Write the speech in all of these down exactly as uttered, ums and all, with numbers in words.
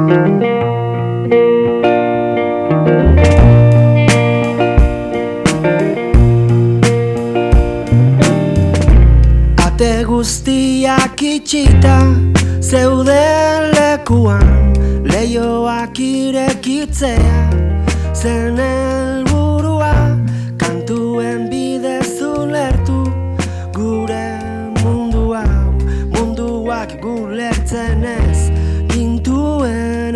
Ate guztiak itxita zeuden lekuan, leioak irekitzea zen helburua, kantuen bidez ulertu gure mundu hau, munduak gulertzen ez gintuenean.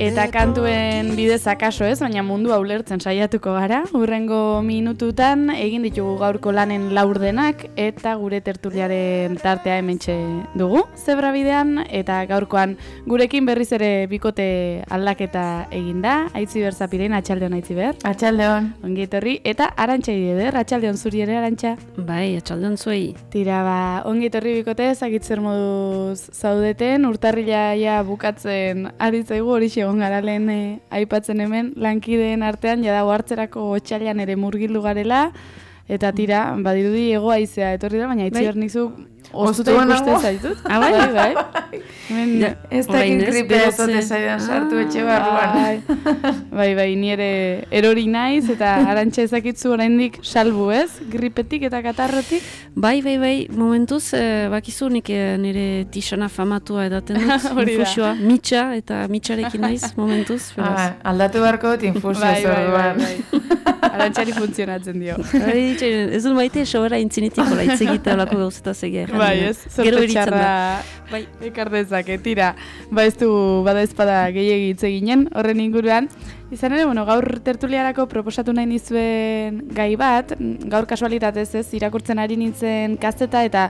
Eta kantuen bidez akaso ez, baina mundu ulertzen saiatuko gara. Hurrengo minututan egin ditugu gaurko lanen laurdenak eta gure tertuliaren tartea hementxe dugu zebra bidean, eta gaurkoan gurekin berriz ere bikote aldaketa egin da. Aitziber Zapirein, atxaldeon Aitziber. Atxaldeon. Ongi etorri, eta Arantxa Idieder, atxaldeon zuri ere Arantxa. Bai, atxaldeon zuei. Tira, ba, ongi etorri bikote, zakitzer moduz zaudeten, urtarrila ja bukatzen ari zaigu, hori egon gara lehen eh, aipatzen hemen, lankideen artean, jada hartzerako otxailan ere murgildu garela, eta tira, badirudi ego haizea etorri da, baina Aitziber nizu oztuta ikusten zaitut. Ah, bai, bai, bai. Hemen, ja, ez dakit gripea ezote zaidan sartu etxe barruan. Bai, bai, ni ere erori naiz, eta Arantxa ezakitzu oraindik salbu ez, gripetik eta katarrotik. Bai, bai, bai, momentuz, eh, bakizu nik eh, nire tixana famatua edaten dut, infusioa, mitxa, eta mitxarekin naiz, momentuz. Ah, aldatu beharko dut infusioa bai, zorduan. Bai, bai, bai. Arantxari funtzionatzen dio. Bai, ez dut maite, sobera intzinetik, hola, itzegita olako gauzetaz egia. Bai, ez, zorte txarra bai. ekardezake, tira, ba ez du bada ezpada gehiegi hitz eginen, horren inguruan. Izan ere, bueno, gaur tertuliarako proposatu nahi nizuen gai bat, gaur kasualitatez ez, irakurtzen ari nintzen kazeta eta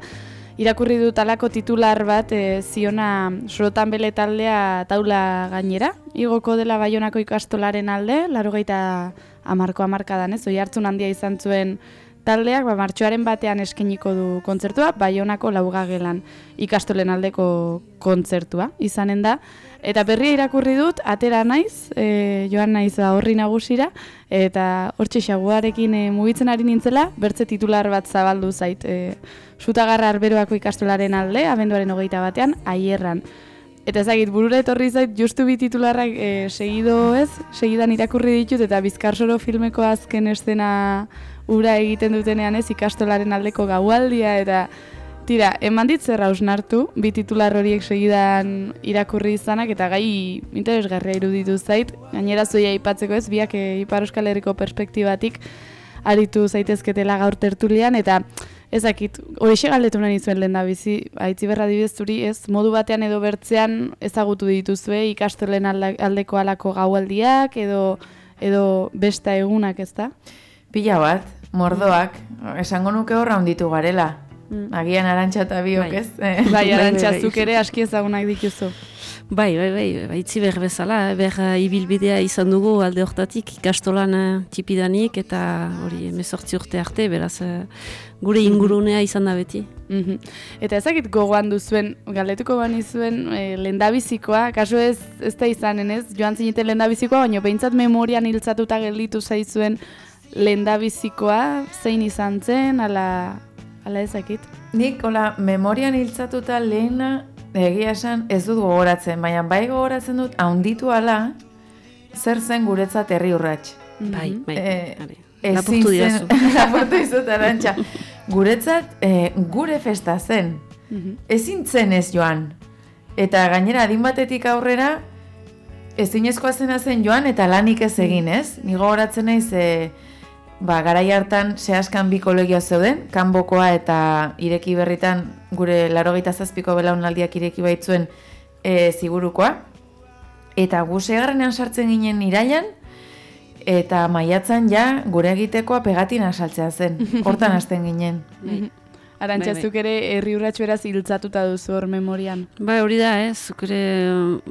irakurri dut alako titular bat e, ziona Sorotan Bele taldea taula gainera, igoko dela Baionako ikastolaren alde, laurogeita hamarko hamarkadan ez, oi hartzun handia izan zuen taldeak, ba, martxoaren batean eskainiko du kontzertua, Baionako laugagelan ikastolen aldeko kontzertua izanen da. Eta berria irakurri dut, atera naiz, e, joan naiz horri nagusira, eta hortxe xaguarekin e, mugitzen ari nintzela, bertze titular bat zabaldu zait. E, Sutagarra Arberoako ikastolaren alde, abenduaren hogeita batean, Aierran. Eta ezagit, burura etorri zait, justu bi titularrak e, segido ez, segidan irakurri ditut, eta Bizkarsoro filmeko azken estena ura egiten dutenean ez, ikastolaren aldeko gaualdia, eta tira, eman dit zer hausnartu, bi titular horiek segidan irakurri izanak, eta gai interesgarria iruditu zait, gainera zuia aipatzeko ez, biak e, Ipar Euskal Herriko perspektibatik aritu zaitezketela gaur tertulian, eta ezakit, horixe galdetu nahi zuen lehen da bizi, Aitziber adibidez zuri ez, modu batean edo bertzean ezagutu dituzue ikastolen aldeko alako gaualdiak, edo, edo besta egunak ez da? Pila bat, mordoak, esango nuke horra hunditu garela. Agian Arantxa eta biok, ez? Bai, Arantxa, zuk ere aski ezagunak dituzu. Bai, bai, bai, baitzi behar bezala, ber ibilbidea izan dugu alde hortatik ikastolan tipidanik eta hori emezortzi urte arte, beraz gure ingurunea izan da beti. Mm-hmm. Eta ezakit gogoan duzuen, galdetuko bani zuen e, lendabizikoa, kasu ez, ez da izanen ez, joan zineten lendabizikoa, baina behintzat memorian hiltzatuta gelditu zaizuen lendabizikoa, zein izan zen, ala, ala ezakit? Nik, hola, memorian hiltzatuta lehena, egia esan ez dut gogoratzen, baina bai gogoratzen dut haunditu ala zer zen guretzat herri urrats. Bai, bai, e, lapurtu diazu. Lapurtu dizut, Arantxa. Guretzat e, gure festa zen, ezin zen ez joan. Eta gainera adin batetik aurrera ezinezkoa zena zen joan eta lanik ez egin ez. Ni gogoratzen naiz e, ba, garai hartan zehazkan bi kolegioa zeuden, Kanbokoa eta Ireki Berritan gure laurogeita zazpiko belaunaldiak ireki baitzuen e, Zigurukoa. Eta gu segarrenean sartzen ginen irailan, eta maiatzan ja gure egitekoa pegatina saltzea zen. Hortan hasten ginen. Arantxa, zuk ere herri urratxo eraz hiltzatuta duzu hor memorian. Ba, hori da, ez, zuk ere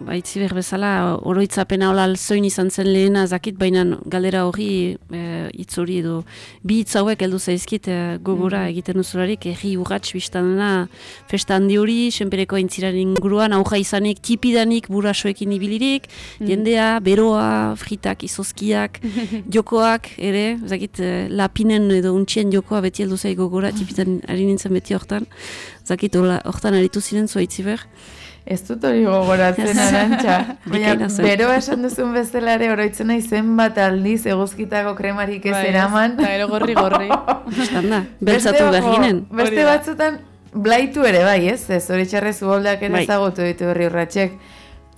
baitzi behar bezala, oroitzapena hola alzoin izan zen lehena zakit, baina galdera hori e, hitz hori edo bi hitz hauek heldu zaizkit e, gogora mm. egiten duzularik, herri urratx biztanena festa handi hori, senpereko aintziraren inguruan, auja izanik, tipidanik, burasoekin ibilirik, mm. jendea, beroa, fritak, izozkiak, jokoak, ere, zakit, e, lapinen edo untxien jokoa beti heldu zaik gogora, tipidan harin beti hortan, zakit hortan aritu ziren zua Aitziber? Ez dut hori gogoratzen Arantxa. Baina, beroa esan duzun bezala ere oroitzen nahi zenbat aldiz eguzkitako kremarik ez eraman. Eta ero gorri-gorri. Estanda, beltzatu berginen. Beste batzutan, blaitu ere bai, ez? Ez hori txarrez uholdak ere ezagutu ditu berri urratxek.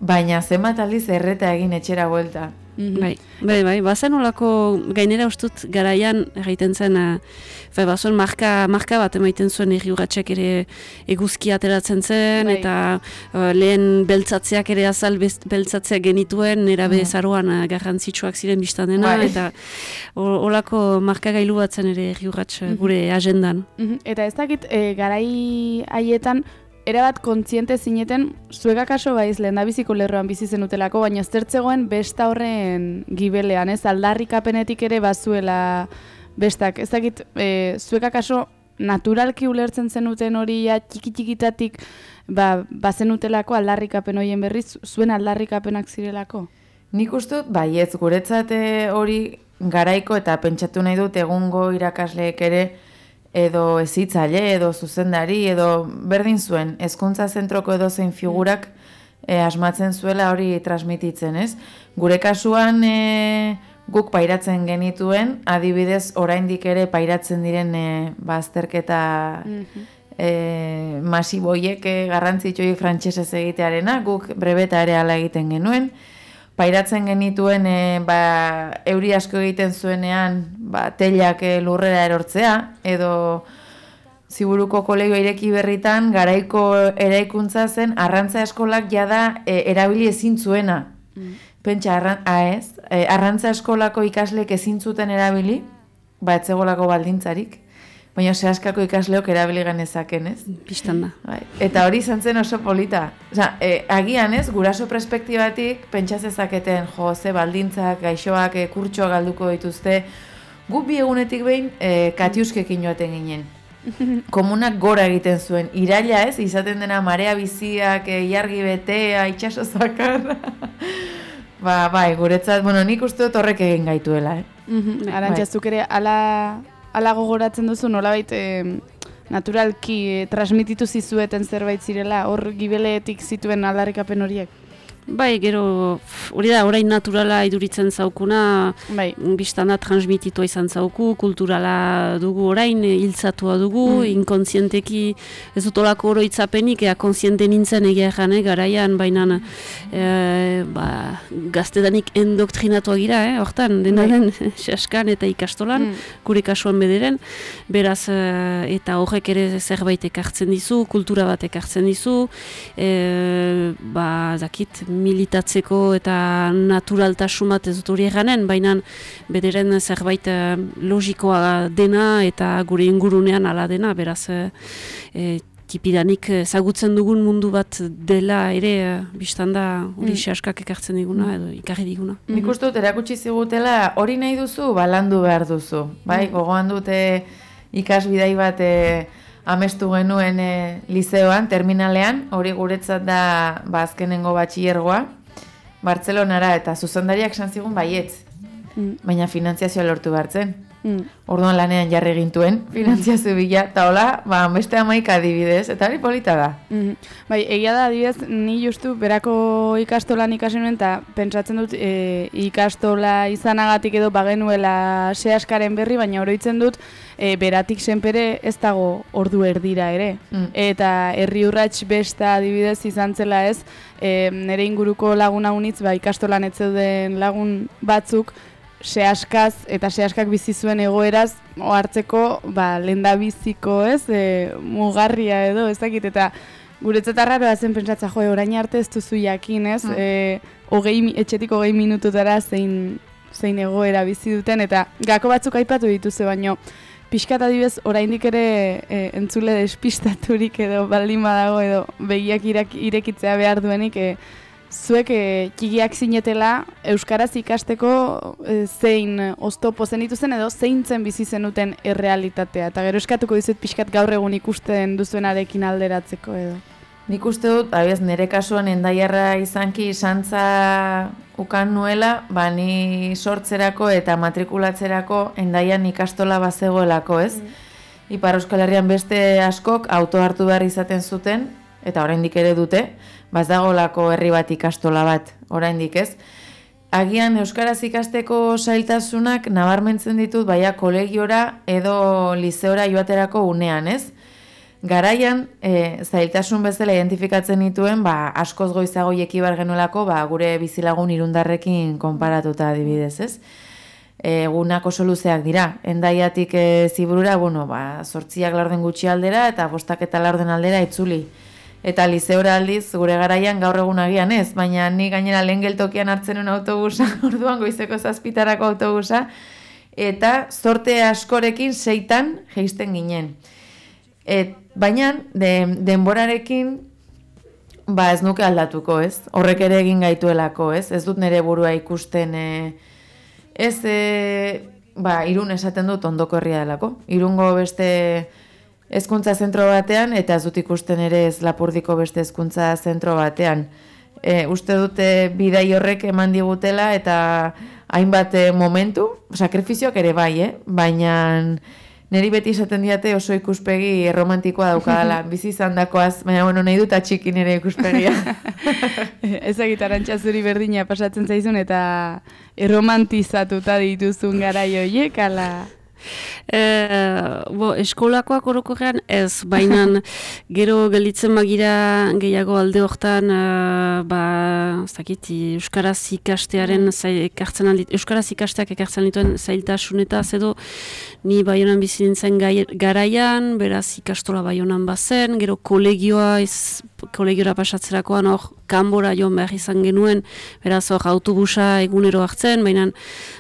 Baina zenbat aldiz erreta egin etxera buelta. Bai, bai, bai, bazen olako gainera ustut garaian egiten zen, uh, bazuen marka, marka bat emaiten zuen erri urratxek ere eguzki ateratzen zen, bai. Eta uh, lehen beltzatzeak ere azal beltzatzeak genituen, nera mm. bezaroan uh, garrantzitsuak ziren biztan dena, bai. Eta olako marka gailu bat zen ere erri urratx mm-hmm. gure agendan. Mm-hmm. Eta ez dakit, e, garai haietan, erabat kontziente zineten, zueka kaso baiz lehendabiziko lerroan bizi zenutelako, baina zertzegoen besta horren gibelean, ez aldarrikapenetik ere bazuela bestak. Ez dakit, e, zueka kaso naturalki ulertzen zenuten hori ja, txiki-txikitatik ba, bazenutelako aldarrikapen horien berriz, zuen aldarrikapenak zirelako? Nik ustut, baietz, guretzat hori garaiko eta pentsatu nahi dut egungo irakasleek ere edo ezitzaile, edo zuzendari, edo berdin zuen, hezkuntza zentroko edo zein figurak e, asmatzen zuela hori transmititzen, ez? Gure kasuan e, guk pairatzen genituen, adibidez oraindik ere pairatzen diren e, bazterketa mm-hmm. e, masiboiek e, garrantzitsuik frantsesez egitearena, guk brebeta ere hala egiten genuen, pairatzen genituen e, ba, euri asko egiten zuenean ba, telak e, lurrera erortzea, edo Ziburuko kolegio ireki berritan garaiko eraikuntza zen arrantza eskolak jada e, erabili ezin zuena. Mm. Pentsa, arran, ez, e, arrantza eskolako ikaslek ezin zuten erabili, ba etzegolako baldintzarik, baina sehaskako ikasleok erabili genezaken, ez? Bistan da. Bai. Eta hori izan zen oso polita. Osa, e, agian ez, guraso perspektibatik pentsa zezaketen, jo, ze baldintzak, gaixoak, e, kurtsoak galduko dituzte, guk bi egunetik behin e, katiuskekin joaten ginen. Komunak gora egiten zuen. Iraila ez, izaten dena marea biziak, e, jargi betea, itxaso zakarra. ba, bai, guretzat, bueno, nik uste dut horrek egin gaituela, eh? Mm-hmm. Arantxa, zuk ere, ala... Ala gogoratzen duzu, nolabait e, naturalki e, transmititu zizueten zerbait zirela, hor gibeleetik zituen aldarrikapen horiek? Bai, gero, hori da, orain naturala iduritzen zaukuna, bai. Bistan da transmititua izan zauku, kulturala dugu orain, hiltzatua dugu, mm. inkontzienteki ez dut olako oroitzapenik, ea kontziente nintzen egia erran, garaian, baina e, ba, gaztedanik endoktrinatua gira, eh, hortan, dena den, saskan eta ikastolan, mm. gure kasuan bederen, beraz, e, eta horrek ere zerbait ekartzen dizu, kultura bat ekartzen dizu, e, ba, zakit, militatzeko eta naturaltasun bat ez dut hori eganen, baina bederen zerbait logikoa dena eta gure ingurunean ala dena, beraz e, e, tipidanik ezagutzen dugun mundu bat dela ere bistan da hori sehaskak ekartzen diguna edo ikarri diguna. Nik uste dut erakutsi zigutela hori nahi duzu, balandu behar duzu. Bai, gogoan dute ikasbidai bat e, amestu genuen e, lizeoan, terminalean, hori guretzat da ba, azkenengo batxillergoa, Bartzelonara, eta zuzendariak esan zigun baietz, mm. baina finantziazioa lortu behartzen. Mm. Orduan lanean jarri gintuen, finantziazio bila, eta hola, ba, beste amaik adibidez, eta hori polita da. Mm-hmm. Bai, egia da adibidez, ni justu berako ikastolan ikasi nuen, eta pentsatzen dut e, ikastola izanagatik edo bagenuela sehaskaren berri, baina oroitzen dut, e, beratik senpere ez dago ordu erdira ere. Mm. Eta herri urrats besta adibidez izan zela ez, e, nire inguruko laguna unitz, ba, ikastolan ez zeuden lagun batzuk, sehaskaz eta sehaskak bizi zuen egoeraz ohartzeko ba lehendabiziko, ez, e, mugarria edo ez dakit, eta guretzat arraroa zen pentsatza, jo, orain arte ez duzu jakin, ez, mm. e, hogei, etxetik hogei minututara zein, zein egoera bizi duten, eta gako batzuk aipatu dituzu, baino pixkat adibidez oraindik ere e, entzule despistaturik edo baldin badago edo begiak irek, irekitzea behar duenik, e, zuek e, txikiak zinetela euskaraz ikasteko e, zein oztopo zenituzen edo zeintzen bizi zenuten errealitatea, eta gero eskatuko dizut pixkat gaur egun ikusten duzuenarekin alderatzeko edo. Nik uste dut, abiaz, nire kasuan endaiarra izanki santza ukan nuela, ba ni sortzerako eta matrikulatzerako endaian ikastola bazegoelako, ez? Mm. Ipar Euskal Herrian beste askok auto hartu behar izaten zuten, eta oraindik ere dute, baz dagolako herri bat ikastola bat, oraindik ez. Agian euskaraz ikasteko zailtasunak nabarmentzen ditut baia kolegiora edo liseora joaterako unean, ez? Garaian, e, zailtasun bezala identifikatzen dituen, ba, askoz goizago jekibar genuelako, ba, gure bizilagun irundarrekin konparatuta adibidez, ez? Egunak oso luzeak dira. Endaiatik e, Ziburura, bueno, ba, zortziak laurden gutxi aldera eta bostak eta laurden aldera itzuli. Eta liseora aldiz, gure garaian gaur egun agian ez, baina ni gainera lehen geltokian hartzen un autobusa, orduan goizeko zazpitarako autobusa, eta zorte askorekin seitan jeisten ginen. Et, baina, de, denborarekin, ba ez nuke aldatuko, ez? Horrek ere egin gaituelako, ez? Ez dut nire burua ikusten, e, ez, e, ba, Irun esaten dut ondoko herria delako. Irungo beste hezkuntza zentro batean, eta ez dut ikusten ere ez Lapurdiko beste hezkuntza zentro batean. E, uste dute bidai horrek eman digutela, eta hainbat e, momentu, sakrifizioak ere bai, eh? Baina neri beti esaten diate oso ikuspegi erromantikoa daukadala, bizi izan dakoaz, baina bueno, nahi dut atxiki nire ikuspegia. Ezagit Arantxa zuri berdina pasatzen zaizun eta erromantizatuta dituzun garai horiek, ala... E, bo, eskolakoak orokorrean ez, baina gero gelditzen magira gehiago alde hortan, uh, ba, zakit, euskaraz ikastearen ekartzen aldit, euskaraz ikasteak ekartzen dituen zailtasunetaz edo ni Baionan bizi nintzen garaian, beraz ikastola Baionan bazen, gero kolegioa ez, kolegiora pasatzerakoan hor kanbora joan behar izan genuen, beraz hor autobusa egunero hartzen, baina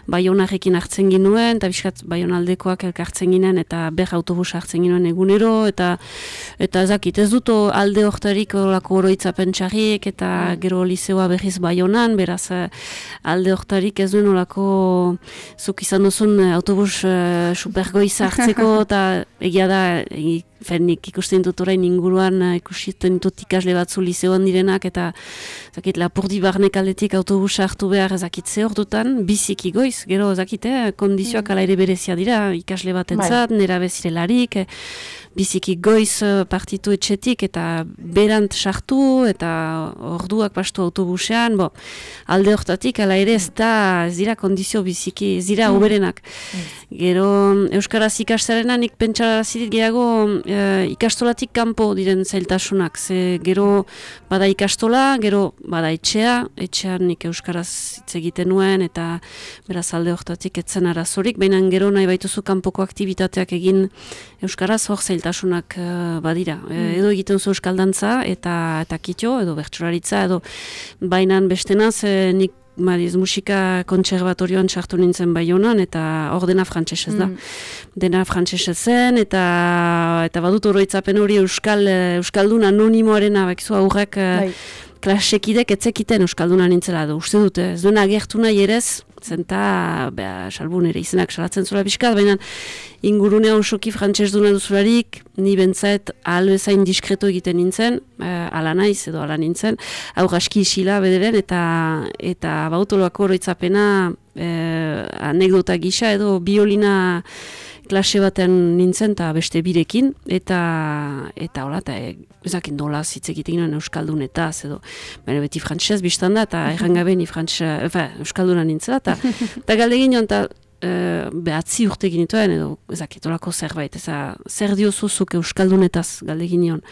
Baionarekin hartzen genuen, eta bizkat Baionaldekoak elkartzen ginen, eta ber autobusa hartzen genuen egunero, eta eta ezakit, ez dut alde hortarik olako oroitzapen txarrik, eta gero liseoa berriz Baionan, beraz alde hortarik ez duen olako zuk izan duzun autobus uh, supergoiza hartzeko, eta egia da, e, Fernik ikusten dut orain inguruan, ikusten dut ikasle batzu liseoan direnak, eta zakit, Lapurdi barnek aldetik autobusa hartu behar ezakit ze ordutan, biziki goiz, gero ezakit, eh, kondizioak ala ere berezia dira, ikasle bat entzat, nera bezirelarik, eh, biziki goiz partitu etxetik, eta berant sartu, eta orduak pastu autobusean, bo, alde hortatik, ala ere ez da, ez dira kondizio biziki, ez dira uberenak. Gero, euskaraz ikastarenan nik pentsarazi dit gehiago, E, ikastolatik kanpo diren zailtasunak, ze gero bada ikastola, gero bada etxea, etxean nik euskaraz hitz egiten nuen, eta beraz alde hortatik etzen arazorik, baina gero nahi baituzu kanpoko aktivitateak egin euskaraz hor zailtasunak uh, badira. E, edo egiten zu euskaldantza, eta, eta kitio, edo bertsolaritza, edo bainan bestenaz, e, nik Mariz, musika kontserbatorioan txartu nintzen Baionan, eta hor dena frantsesez da. Mm. Dena frantsesez zen, eta eta badut oroitzapen hori euskal euskaldun anonimoarena, bakizu aurrek klasekidek etzekiten euskalduna nintzela, da uste dute, ez duena agertu nahi erez, zenta, beha, salbun ere izenak salatzen zula pixkat, baina ingurunea osoki frantses duna duzularik, ni bentzait ahal bezain diskreto egiten nintzen, eh, ala naiz edo ala nintzen, hau aski isila bederen, eta eta bautoloako oroitzapena eh, anekdota gisa edo biolina klase batean nintzen eta beste birekin, eta eta hola, eta ezakin dola hitz egiten ginen euskaldunetaz edo, baina beti frantsesez biztan da, eta errangabe ni frantsesa, efa, euskalduna nintzela, eta eta galde ginen, eta e, behatzi urte ginituen, edo ezakit olako zerbait, eza, zer diozuzuk euskaldunetaz galde ginen.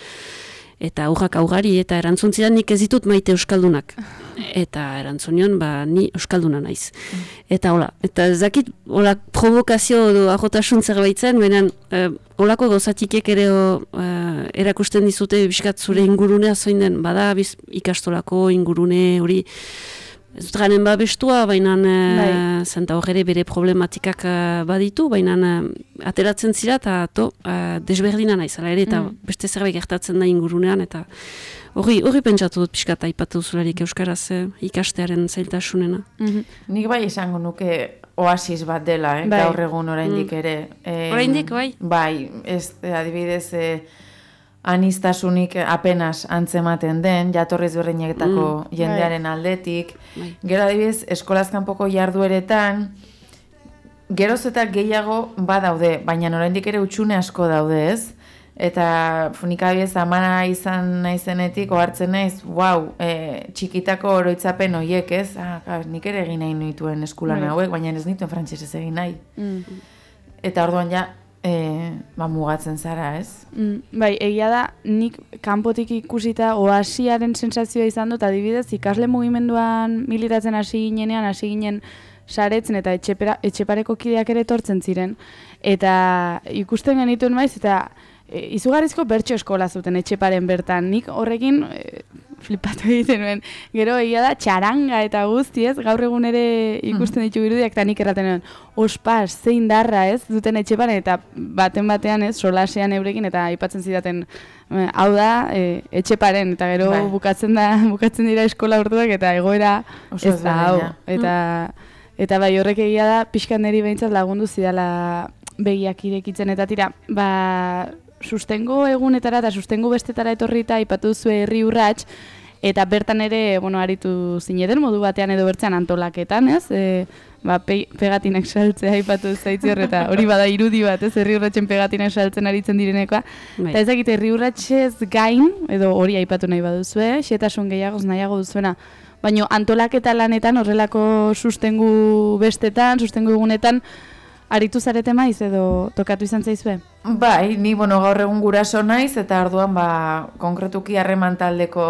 Eta aurrak augari, eta erantzuntzidan nik ez ditut maite euskaldunak. Eta erantzunion, ba, ni euskalduna naiz. Eta hola, eta ez dakit, hola, provokazio edo ahotasun zerbaitzen, baina eh, holako gauzatikek ere eh, erakusten dizute biskat zure ingurunea zoin den, bada biz, ikastolako ingurune hori, ez dut ganen babestua, baina e, zenta hor ere bere problematikak e, baditu, baina e, ateratzen zira eta to, e, desberdina naiz, ala ere, eta mm. beste zerbait gertatzen da ingurunean, eta hori hori pentsatu dut pixka eta aipatu duzularik euskaraz e, ikastearen zailtasunena. Mm-hmm. Nik bai esango nuke oasis bat dela, eh? Bai. Gaur egun oraindik mm. ere. E, oraindik, bai? Bai, ez, adibidez, e, anistasunik apenas antzematen den, jatorriz berdinetako mm. jendearen aldetik. Bai. Gero adibidez, eskolaz kanpoko jardueretan, geroz eta gehiago badaude, baina oraindik ere utxune asko daude, ez? Eta nik abiez amana izan naizenetik ohartzen naiz, wow, e, txikitako oroitzapen horiek, ez? Ah, nik ere egin nahi nituen eskulan hauek, baina ez nituen frantsesez egin nahi. Mm. Eta orduan ja, e, ba, mugatzen zara, ez? Mm, bai, egia da, nik kanpotik ikusita oasiaren sensazioa izan dut, adibidez, ikasle mugimenduan militatzen hasi ginenean, hasi ginen saretzen eta etxepera, etxepareko kideak ere etortzen ziren. Eta ikusten genituen maiz, eta e, izugarrizko bertso eskola zuten etxeparen bertan. Nik horrekin e, flipatu egiten nuen. Gero egia da, txaranga eta guztiez, gaur egun ere ikusten ditu irudiak, eta nik erraten nuen, ospas, zein darra ez, duten etxeparen, eta baten batean ez, solasean eurekin, eta aipatzen zidaten, hau da, e, etxeparen, eta gero bai. bukatzen da, bukatzen dira eskola urtuak, eta egoera ez da, hau. Eta, eta bai, horrek egia da, pixkan niri behintzat lagundu zidala begiak irekitzen, eta tira, ba, sustengo egunetara eta sustengo bestetara etorrita aipatu zuen herri urrats, eta bertan ere, bueno, aritu zineten modu batean edo bertzean antolaketan, ez? E, ba, pe, pegatinak saltzea aipatu zaitzi horreta, hori bada irudi bat, ez? Herri urratsen pegatinak saltzen aritzen direnekoa. Bai. Eta ezakit, herri urratsez gain, edo hori aipatu nahi baduzue, xetasun gehiagoz nahiago duzuena, baina antolaketa lanetan, horrelako sustengu bestetan, sustengu egunetan, aritu zarete maiz edo tokatu izan zaizue? Bai, ni bueno, gaur egun guraso naiz eta orduan ba, konkretuki harreman taldeko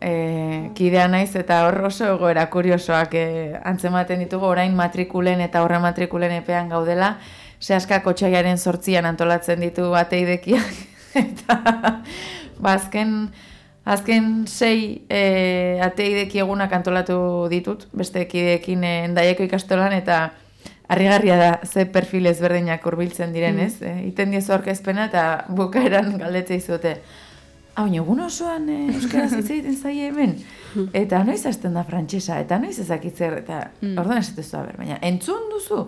e, kidea naiz eta hor oso egoera kuriosoak e, antzematen ditugu orain matrikulen eta horre matrikulen epean gaudela, sehaska kotxaiaren sortzian antolatzen ditu ateidekiak eta ba, azken, azken sei e, ateideki egunak antolatu ditut, beste kideekin e, Endaiako ikastolan eta harrigarria da ze perfil ezberdinak hurbiltzen diren, ez? Mm. E, iten diezu aurkezpena eta bukaeran galdetzea izute. Hau, egun osoan e, euskaraz hitz egiten zaie hemen. Eta noiz hasten da frantsesa, eta noiz ezakitzer, eta mm. orduan esatezu, a ber, baina entzun duzu,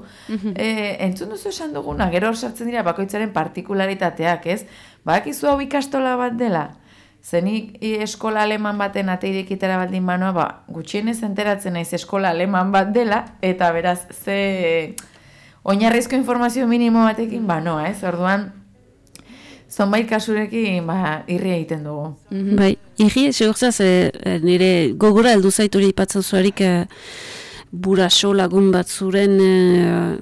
e, entzun duzu esan duguna, gero sartzen dira bakoitzaren partikularitateak, ez? Badakizu hau ikastola bat dela, zenik eskola aleman baten ateirekitera baldin banoa, ba, gutxienez enteratzen naiz eskola aleman bat dela, eta beraz, ze oinarrizko informazio minimo batekin banoa, ez? Orduan, zonbait kasurekin, ba, irri egiten dugu. Mm-hmm. Bai, irri, segurzaz, e, nire gogora heldu zaituri ipatzen zuarik, e, buraso lagun batzuren e,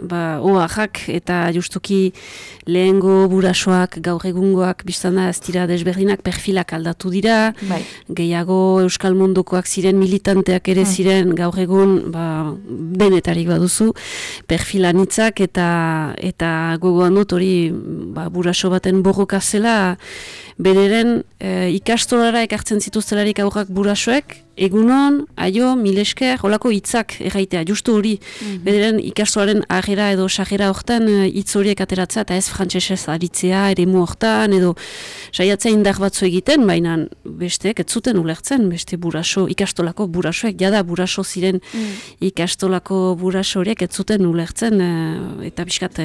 ba, oaxak eta justuki lehengo burasoak gaur egungoak biztana ez dira desberdinak perfilak aldatu dira, bai. Gehiago euskal mundukoak ziren militanteak ere ziren gaur egun ba, denetarik baduzu perfilanitzak eta eta gogoan dut hori ba, buraso baten borroka zela bereren e, ikastolara ekartzen zituztelarik aurrak burasoek egunon, aio, milesker, holako hitzak erraitea, justu hori, mm-hmm. bederen ikastoaren agera edo sagera hortan hitz horiek ateratzea eta ez frantsesez aritzea, eremu hortan, edo saiatzea indar batzu egiten, baina besteek ez zuten ulertzen, beste buraso, ikastolako burasoek, jada buraso ziren mm. ikastolako buraso horiek ez zuten ulertzen, eta pixkat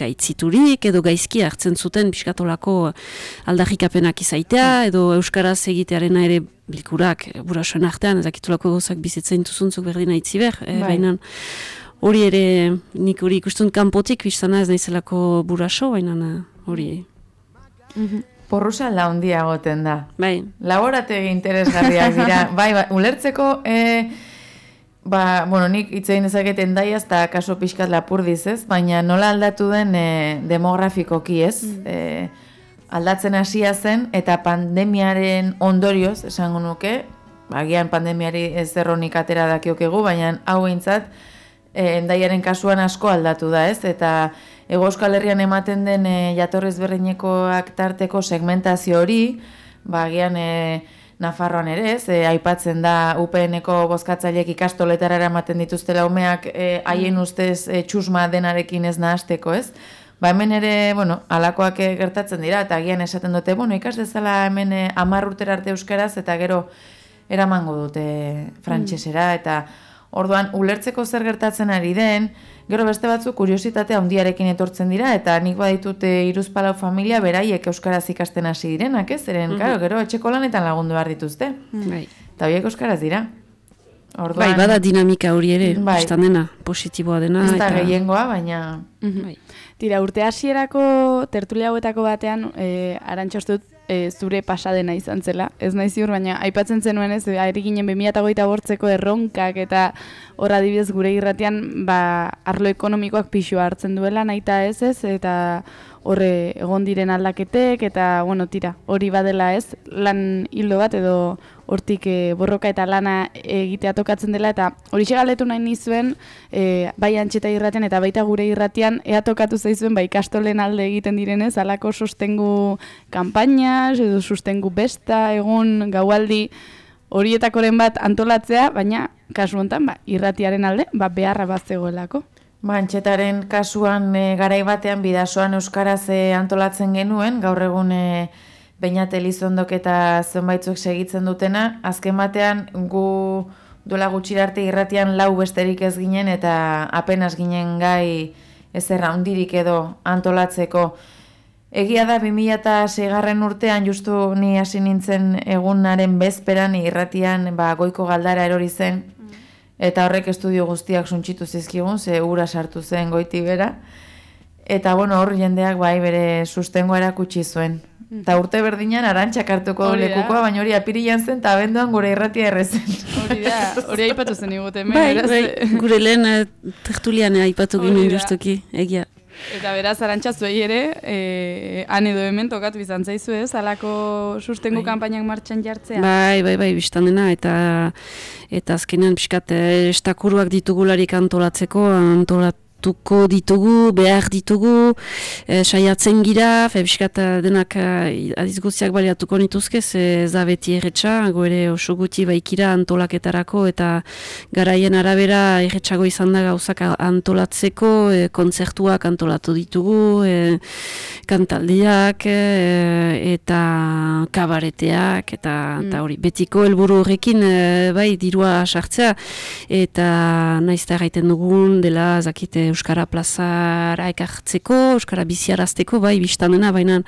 gaitziturik, edo gaizki hartzen zuten pixkatolako aldarrikapenak izaitea, edo euskaraz egitearena ere bilkurak burasoen artean, ezakitulako gozak bizitzen duzuntzuk berdina itziber, e, baina hori ere nik hori ikustun kanpotik biztana ez naizelako buraso, baina hori. Mm-hmm. Porrusa la handia goten da. Bai. Laborategi interesgarriak dira. bai, bai, ulertzeko, e, ba, bueno, nik itzein dezaket Endaiaz eta kaso pixkat lapurdiz, ez? Baina nola aldatu den e, demografikoki, ez? Mm. E, aldatzen hasia zen, eta pandemiaren ondorioz, esango nuke, agian pandemiari ez erronik atera dakiokegu, baina hau eintzat, e, Endaiaren kasuan asko aldatu da, ez? Eta Hego Euskal Herrian ematen den e, jatorriz berdinekoak tarteko segmentazio hori, ba, agian e, Nafarroan ere, ez? E, aipatzen da U P N-eko bozkatzaileek ikastoletara ematen dituztela umeak e, haien ustez e, txusma denarekin ez nahasteko, ez? Ba hemen ere, bueno, alakoak gertatzen dira, eta agian esaten dute, bueno, ikas dezala hemen hamar urtera arte euskaraz, eta gero eramango dute frantsesera, eta orduan ulertzeko zer gertatzen ari den, gero beste batzu kuriositatea handiarekin etortzen dira, eta nik baditute hiruzpalau familia beraiek euskaraz ikasten hasi direnak, ez? Zeren, mm-hmm. Karo, gero etxeko lanetan lagundu behar dituzte. Mm-hmm. Eta horiek euskaraz dira. Orduan, bai, bada dinamika hori ere, bai. bistan dena, positiboa dena. Ez da eta... gehiengoa, baina... Bai. Tira, urte hasierako tertulia hauetako batean, e, arantxostut, e, zure pasadena izan zela. Ez nahi ziur, baina aipatzen zenuen ez, ari ginen bi mila hogeita bortzeko erronkak eta horra adibidez gure irratian, ba, arlo ekonomikoak pixua hartzen duela, nahita ez ez, eta horre egon diren aldaketek, eta, bueno, tira, hori badela ez, lan hildo bat edo hortik e, borroka eta lana egitea tokatzen dela, eta hori galdetu nahi nizuen, e, bai Antxeta irratian eta baita gure irratian, ea tokatu zaizuen, bai ikastolen alde egiten direnez, alako sostengu kanpainas, edo sostengu besta, egun, gaualdi, horietakoren bat antolatzea, baina kasu honetan, ba, irratiaren alde, ba, beharra bat zegoelako. Ba, Antxetaren kasuan e, garai batean bidasoan euskaraz e, antolatzen genuen, gaur egun e, Beñat Elizondok eta zenbaitzuk segitzen dutena, azken batean gu duela gutxira arte irratian lau besterik ez ginen eta apenas ginen gai ezerra handirik edo antolatzeko. Egia da bi mila seigarren urtean justu ni hasi nintzen egunaren bezperan irratian ba, goiko galdara erori zen, eta horrek estudio guztiak suntsitu zizkigun, ze ura sartu zen goiti bera. Eta bueno, hor jendeak bai bere sustengoa erakutsi zuen. Eta urte berdinan arantxak hartuko lekukoa, baina hori apirilan zen eta abenduan gure irratia errezen. Hori da, hori aipatu zen iguten. Bai, bai, gure lehen uh, tertulian aipatu ginen justuki, egia. Eta beraz, arantxa zuei ere, e, han edo hemen tokatu izan zaizu ez, alako sustengu kanpainak martxan jartzea. Bai, bai, bai, biztan dena, eta eta azkenean pixkat estakuruak ditugularik antolatzeko, antolat tuko ditugu, behar ditugu, e, saiatzen gira, febiskat denak adiz guztiak baliatuko nituzke, ze zabeti erretxa, goere oso guti baikira antolaketarako, eta garaien arabera erretxago izan da gauzak antolatzeko, e, kontzertuak antolatu ditugu, e, kantaldiak, e, eta kabareteak, eta mm. hori, betiko helburu horrekin, e, bai, dirua sartzea, eta naizta gaiten dugun, dela, zakite, Euskara plazara ekartzeko, Euskara biziarazteko, bai, biztan dena, baina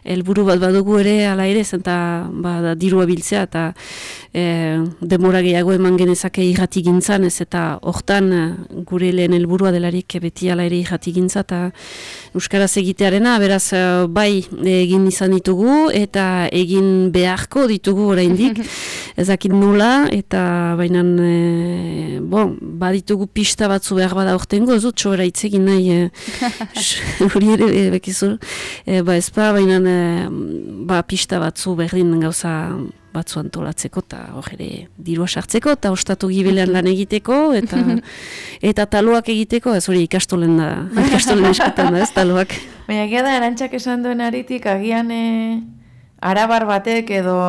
helburu bat badugu ere, ala ere, zenta ba, da, dirua biltzea, eta e, demora gehiago eman genezake irrati gintzan, ez eta hortan gure lehen helburua delarik beti ala ere irrati gintza, eta Euskaraz egitearena, beraz, bai, egin izan ditugu, eta egin beharko ditugu oraindik, ezakit nola, eta baina, e, bon, baditugu pista batzu behar bada hortengo, ez dut, sobera itzegin nahi, hori e, ere, e, bekizu, e, ba ezpa, baina e, ba, pista batzu berdin gauza batzu antolatzeko, eta hor ere dirua sartzeko, eta ostatu gibelean lan egiteko, eta eta taloak egiteko, ez hori ikastolen da, ikastolen eskutan da, ez taloak. Baina egia da, arantxak esan duen aritik, agian e, arabar batek edo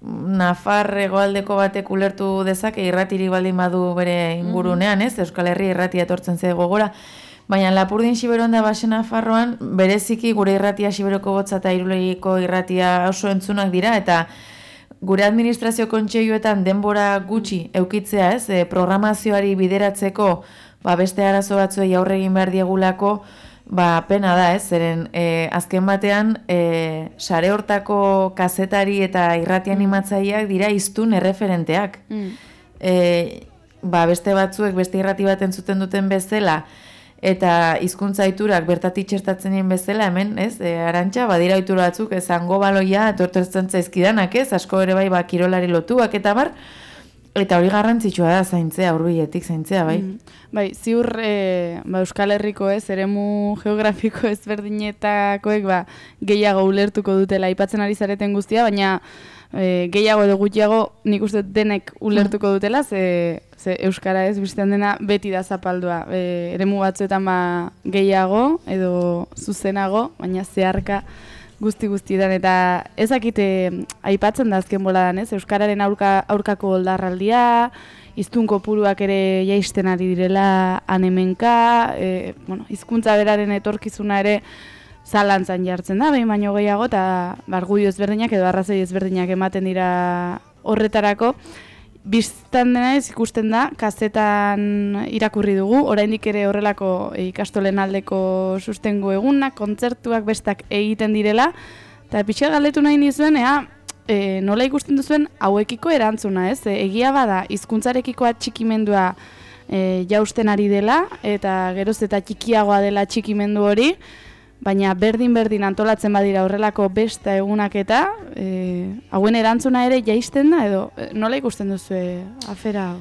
Nafar hegoaldeko batek ulertu dezake irratiri baldin badu bere ingurunean, ez? Euskal Herri irratia etortzen ze gogora, baina Lapurdin Xiberon da Baxe Nafarroan bereziki gure irratia Xiberoko Botza eta Irulegiko irratia oso entzunak dira, eta gure administrazio kontseiluetan denbora gutxi eukitzea, ez? E, programazioari bideratzeko, ba, beste arazo batzuei aurre egin behar diegulako, ba, pena da, ez, zeren e, azken batean e, sare hortako kazetari eta irrati animatzaileak dira hiztun erreferenteak. Mm. E, ba, beste batzuek beste irrati bat entzuten duten bezala eta hizkuntza iturak bertatik txertatzen dien bezala, hemen, ez, e, arantxa, badira itura batzuk, ez, zango baloia, etortzen zaizkidanak, ez, asko ere bai, ba, kirolari lotuak eta bar, eta hori garrantzitsua da zaintzea, hurbiletik zaintzea, bai. Mm. Bai, ziur e, ba, Euskal Herriko ez, eremu geografiko ezberdinetakoek ba, gehiago ulertuko dutela aipatzen ari zareten guztia, baina e, gehiago edo gutxiago nik uste denek ulertuko dutela, ze, ze Euskara ez bizten dena beti da zapaldua. E, eremu batzuetan ba, gehiago edo zuzenago, baina zeharka guzti-guztietan, eta ezakite aipatzen da azken boladan, ez? Euskararen aurka, aurkako oldarraldia, hiztun kopuruak ere jaisten ari direla anemenka, e, bueno, hizkuntza beraren etorkizuna ere zalantzan jartzen da, behin baino gehiago, eta argudio ezberdinak edo arrazoi ezberdinak ematen dira horretarako. Bistan dena ez ikusten da, kazetan irakurri dugu, oraindik ere horrelako ikastolen aldeko sustengo egunak, kontzertuak bestak egiten direla, eta pixka galdetu nahi nizuen, ea, e, nola ikusten duzuen hauekiko erantzuna, ez? E, egia bada, hizkuntzarekiko atxikimendua e, jausten ari dela, eta geroz eta txikiagoa dela atxikimendu hori, baina berdin-berdin antolatzen badira horrelako besta egunak eta e, hauen erantzuna ere jaisten da, edo e, nola ikusten duzue afera hau?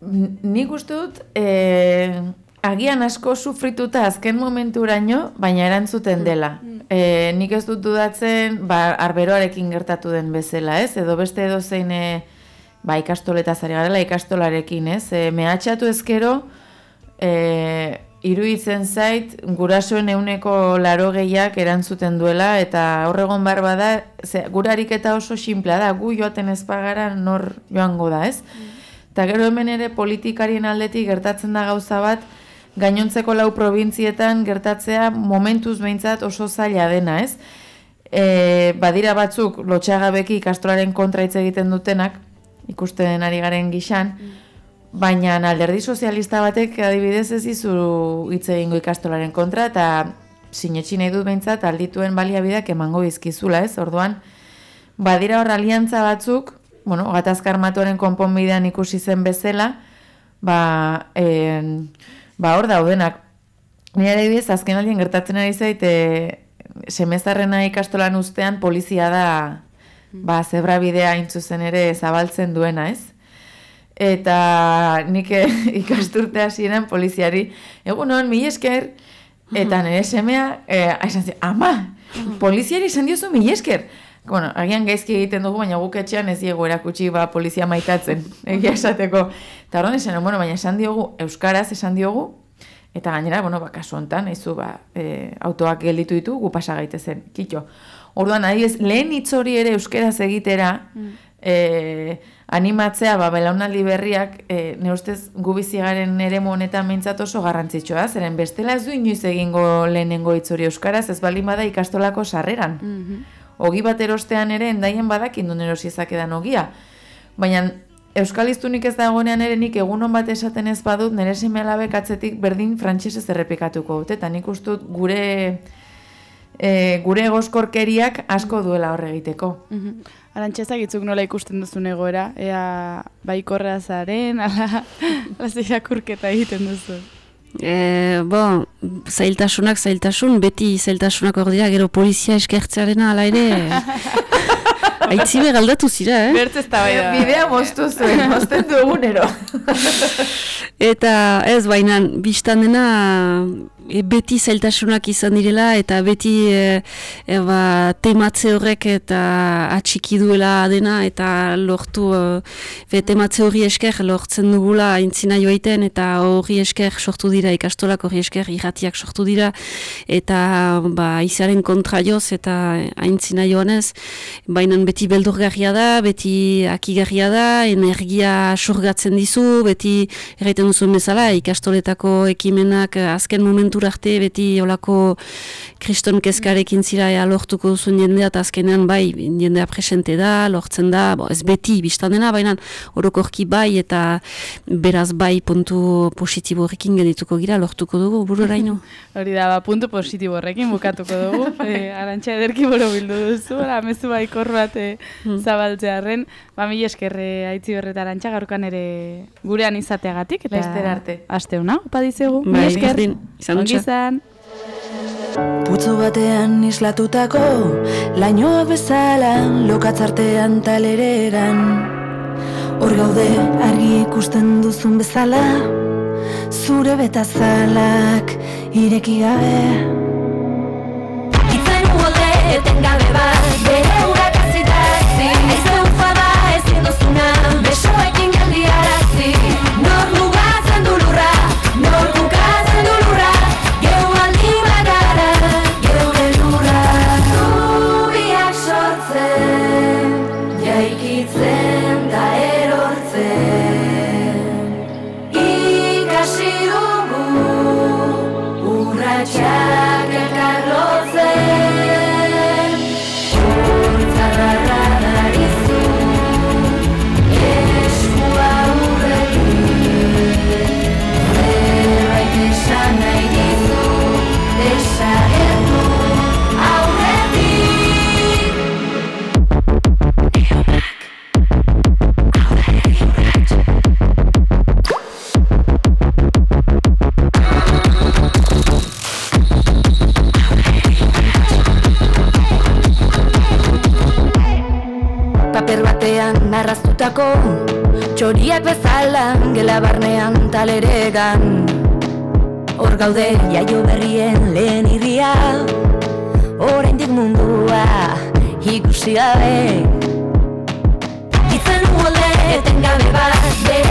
Nik uste dut, e, agian asko sufrituta azken momenturaino, baina erantzuten dela. E, nik ez dut dudatzen, ba, arberoarekin gertatu den bezala, ez? Edo beste edo zein, e, ba, ikastoletaz ari garela, ikastolarekin, ez? E, mehatxatu ezkero, e, iruditzen zait, gurasoen euneko laro gehiak erantzuten duela, eta horregon behar bada, ze, gure ariketa oso sinplea da, gu joaten ez pagara nor joango da, ez? Eta gero hemen ere politikarien aldetik gertatzen da gauza bat, gainontzeko lau probintzietan gertatzea momentuz behintzat oso zaila dena, ez? E, badira batzuk lotxagabeki ikastolaren kontra hitz egiten dutenak, ikusten ari garen gixan, baina alderdi sozialista batek adibidez ez dizu hitz egingo ikastolaren kontra, eta sinetxi nahi dut behintzat aldituen baliabideak emango bizkizula, ez? Orduan, badira hor aliantza batzuk, bueno, gatazka armatuaren konponbidean ikusi zen bezala, ba, e, ba hor daudenak. Nire adibidez, azken aldien gertatzen ari zait, e, semezarrena ikastolan ustean polizia da, ba, zebrabidea intzuzen ere zabaltzen duena, ez? Eta nik ikasturte hasieran poliziari, egunon, mila esker, eta nire semea, e, esan zi, ama, poliziari esan diozu mila esker. Bueno, agian gaizki egiten dugu, baina guk etxean ez diegu erakutsi ba, polizia maitatzen, egia esateko. Eta horren esan, bueno, baina esan diogu, euskaraz esan diogu, eta gainera, bueno, ba, kasu honetan, eizu, ba, e, autoak gelditu ditu, gu pasa gaitezen, kitxo. Orduan, adibidez, lehen hitz hori ere euskaraz egitera, mm. e, animatzea, ba, belaunaldi berriak, e, ne ustez, gu bizigaren eremu honetan mintzat oso garrantzitsua, zeren bestela ez du inoiz egingo lehenengo hitz hori euskaraz, ez baldin bada ikastolako sarreran. Mm-hmm. Ogi bat erostean ere, endaien badakin duen erosiezak edan ogia. Baina, euskaliztunik ez dagoenean ere nik egunon bat esaten ez badut, nire seme alabek atzetik berdin frantxesez errepikatuko dute, eta nik ustut gure, e, gure egoskorkeriak asko duela horre egiteko. Mm-hmm. Arantxezak itzuk nola ikusten duzun egoera, ea baikorra zaren, ala, ala irakurketa egiten duzu. E, bo, zailtasunak zailtasun, beti zailtasunak hor dira, gero polizia eskertzearena ala ere, aitzibe galdatu zira, eh? Bertz ez da bai da. Bidea moztu zuen, mozten du egunero. Eta ez, baina, biztan dena, e, beti zailtasunak izan direla, eta beti e, e, ba, tematze horrek eta atxiki duela dena, eta lortu, e, tematze hori esker lortzen dugula aintzina joaiten, eta hori esker sortu dira, ikastolak hori esker irratiak sortu dira, eta ba, izaren kontra joz, eta aintzina joanez, baina beti beldurgarria da, beti akigarria da, energia surgatzen dizu, beti erraiten duzuen bezala, ikastoletako ekimenak azken momentura arte, beti olako kriston kezkarekin zira ea lortuko duzuen jendea, eta azkenean bai, jendea presente da, lortzen da, bo, ez beti biztan dena, baina orokorki bai, eta beraz bai puntu positibo horrekin gedituko gira, lortuko dugu, bururaino. Hori da, ba, puntu positibo horrekin bukatuko dugu, e, Arantxa ederki boro bildu duzu, amezu baikor bat e, zabaltzearen, ba, mila eskerre aitzi berreta Arantxa, gaurkan ere gurean izateagatik, eta Lester arte. Aste hona, opa dizegu, mila bai, esker, izan izan. Putzu batean islatutako lainoak bezala lokatzartean talereran. Hor gaude argi ikusten duzun bezala, zure betazalak ireki gabe. Itzen uolde etengabe bat, bere urak azitazi, aize ufada ezin duzuna, besoekin geldiarazi. Nor mugatzen du lurra, nor bukatzen du lurra, geu aldi bagara, geure lurra. Zubiak sortzen, jaikitzen da erortzen, ikasi dugu urratxak elkar lotzen. Urtzadarra darizu, Itxasoko txoriak bezala gela barnean taleregan. Hor gaude jaio berrien lehen irria, oraindik mundua ikusi gabe. Itzen molde etengabe bat,